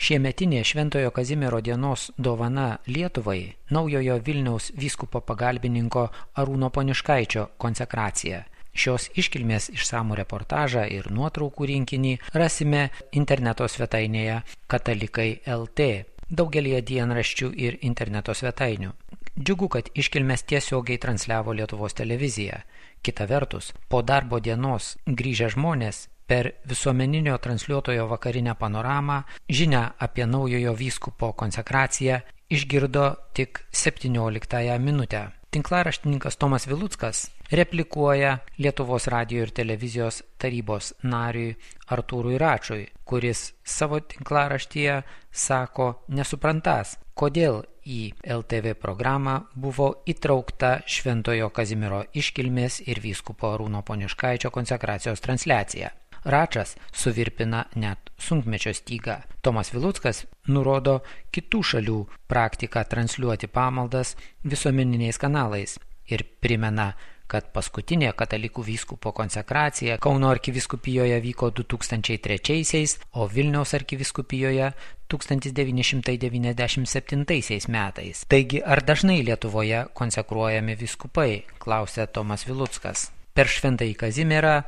Šiemetinė Šventojo Kazimiero dienos dovana Lietuvai naujojo Vilniaus vyskupo pagalbininko Arūno Poniškaičio konsekracija. Šios iškilmės išsamų reportažą ir nuotraukų rinkinį rasime interneto svetainėje Katalikai LT, daugelį dienraščių ir interneto svetainių. Džiugu, kad iškilmės tiesiogiai transliavo Lietuvos televizija. Kita vertus, po darbo dienos grįžę žmonės per visuomeninio transliuotojo vakarinę panoramą žinią apie naujojo vyskupo konsekraciją išgirdo tik 17 minutę. Tinklaraštininkas Tomas Viluckas replikuoja Lietuvos radijo ir televizijos tarybos nariui Artūrui Račui, kuris savo tinklaraštyje sako nesuprantas, kodėl į LTV programą buvo įtraukta Šventojo Kazimiero iškilmės ir vyskupo Arūno Poniškaičio konsekracijos transliacija. Račas suvirpina net sunkmečio stygą. Tomas Viluckas nurodo kitų šalių praktiką transliuoti pamaldas visuomeniniais kanalais ir primena, kad paskutinė katalikų vyskupo konsekracija Kauno arkivyskupijoje vyko 2003, o Vilniaus arkivyskupijoje 1997 metais. Taigi, ar dažnai Lietuvoje konsekruojami vyskupai, klausė Tomas Viluckas. Per Šventąjį Kazimierą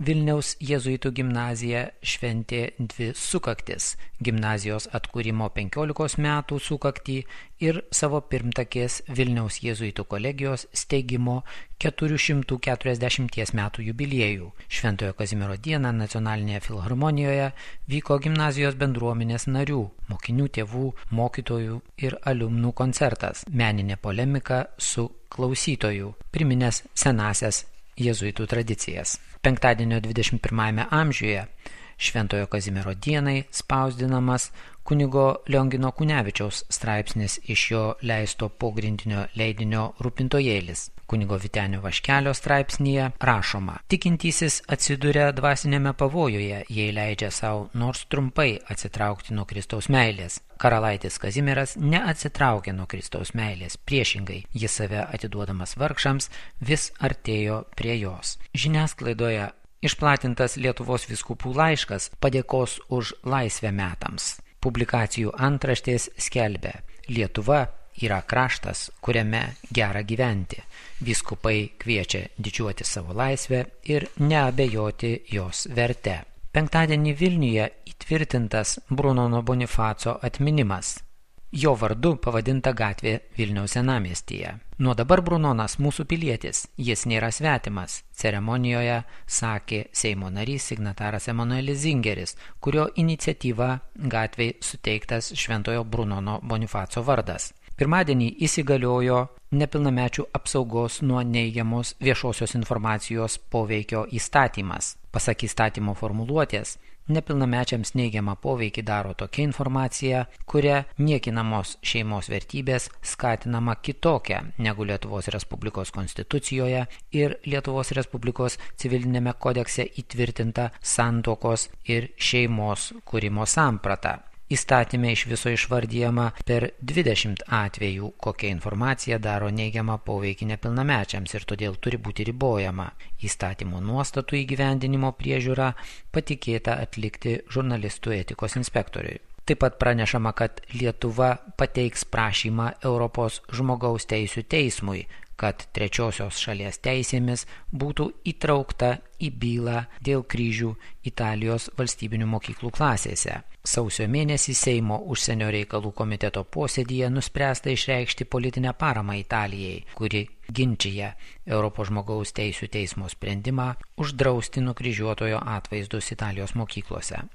Vilniaus jėzuitų gimnazija šventė 2 sukaktis – gimnazijos atkūrimo 15 metų sukaktį ir savo pirmtakės Vilniaus jėzuitų kolegijos steigimo 440 metų jubiliejų. Šventojo Kazimiero dieną Nacionalinėje filharmonijoje vyko gimnazijos bendruomenės narių, mokinių tėvų, mokytojų ir aliumnų koncertas, meninė polemika su klausytojų, priminęs senasias jėzuitų tradicijas. Penktadienio 21 amžiuje Šventojo Kazimiero dienai spausdinamas kunigo Liongino Kunevičiaus straipsnis iš jo leisto pogrindinio leidinio Rūpintojėlis. Kunigo Vytenio Vaškelio straipsnyje rašoma: tikintysis atsiduria dvasinėme pavojuje, jei leidžia savo nors trumpai atsitraukti nuo Kristaus meilės. Karalaitis Kazimieras neatsitraukė nuo Kristaus meilės, priešingai, jis save atiduodamas vargšams vis artėjo prie jos. Žiniasklaidoje išplatintas Lietuvos vyskupų laiškas padėkos už laisvę metams. Publikacijų antraštės skelbia: Lietuva yra kraštas, kuriame gera gyventi. Vyskupai kviečia didžiuoti savo laisvę ir neabejoti jos verte. Penktadienį Vilniuje įtvirtintas Brunono Bonifaco atminimas. Jo vardu pavadinta gatvė Vilniaus senamiestyje. Nuo dabar Brunonas mūsų pilietis, jis nėra svetimas, ceremonijoje sakė Seimo narys signataras Emanuelis Zingeris, kurio iniciatyva gatvei suteiktas Šventojo Brunono Bonifaco vardas. Pirmadienį įsigaliojo nepilnamečių apsaugos nuo neigiamos viešosios informacijos poveikio įstatymas. Pasak įstatymo formuluotės, nepilnamečiams neigiamą poveikį daro tokia informacija, kuria niekinamos šeimos vertybės skatinama kitokia negu Lietuvos Respublikos konstitucijoje ir Lietuvos Respublikos civilinėme kodekse įtvirtinta santuokos ir šeimos kūrimo samprata. Įstatyme iš viso išvardyjama per 20 atvejų, kokia informacija daro neigiamą poveikį nepilnamečiams ir todėl turi būti ribojama. Įstatymo nuostatų įgyvendinimo priežiūra patikėta atlikti žurnalistų etikos inspektoriui. Taip pat pranešama, kad Lietuva pateiks prašymą Europos žmogaus teisių teismui, kad trečiosios šalies teisėmis būtų įtraukta į bylą dėl kryžių Italijos valstybinių mokyklų klasėse. Sausio mėnesį Seimo užsienio reikalų komiteto posėdyje nuspręsta išreikšti politinę paramą Italijai, kuri ginčija Europos žmogaus teisių teismo sprendimą uždrausti nukryžiuotojo atvaizdus Italijos mokyklose.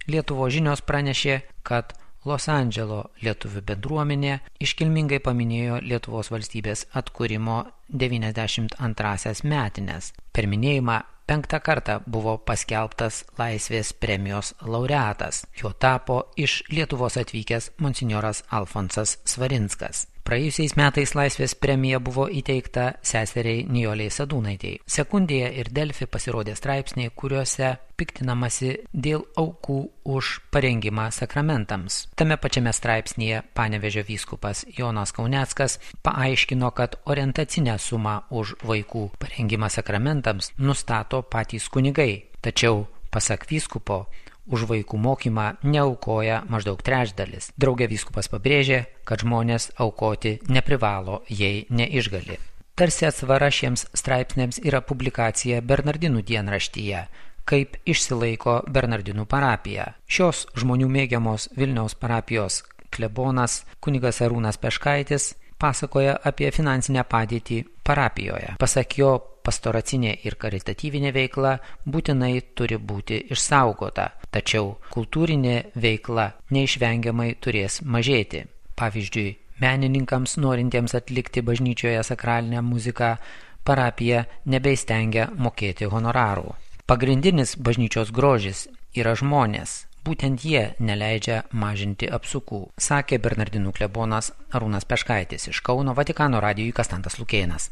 Lietuvos žinios pranešė, kad Los Andželo lietuvių bendruomenė iškilmingai paminėjo Lietuvos valstybės atkūrimo 92 metines. Per minėjimą 5 kartą buvo paskelbtas Laisvės premijos laureatas. Jo tapo iš Lietuvos atvykęs monsinjoras Alfonsas Svarinskas. Praėjusiais metais Laisvės premija buvo įteikta seseriai Nijolei Sadūnaitei. Sekundėje ir Delfi pasirodė straipsniai, kuriuose piktinamasi dėl aukų už parengimą sakramentams. Tame pačiame straipsnyje Panevėžio vyskupas Jonas Kauneckas paaiškino, kad orientacinę sumą už vaikų parengimą sakramentams nustato patys kunigai. Tačiau, pasak vyskupo, už vaikų mokymą neaukoja maždaug trečdalis. Drauge vyskupas pabrėžė, kad žmonės aukoti neprivalo, jei neišgali. Tarsi atsvara šiems straipsniams yra publikacija Bernardinų dienraštyje, kaip išsilaiko Bernardinų parapija. Šios žmonių mėgiamos Vilniaus parapijos klebonas kunigas Arūnas Peškaitis pasakoja apie finansinę padėtį parapijoje. Pasak jo, pastoracinė ir karitatyvinė veikla būtinai turi būti išsaugota, tačiau kultūrinė veikla neišvengiamai turės mažėti. Pavyzdžiui, menininkams norintiems atlikti bažnyčioje sakralinę muziką, parapija nebeįstengia mokėti honorarų. Pagrindinis bažnyčios grožis yra žmonės. Būtent jie neleidžia mažinti apsukų, sakė Bernardinų klebonas Arūnas Peškaitis iš Kauno, Vatikano radijui Kastantas Lukėnas.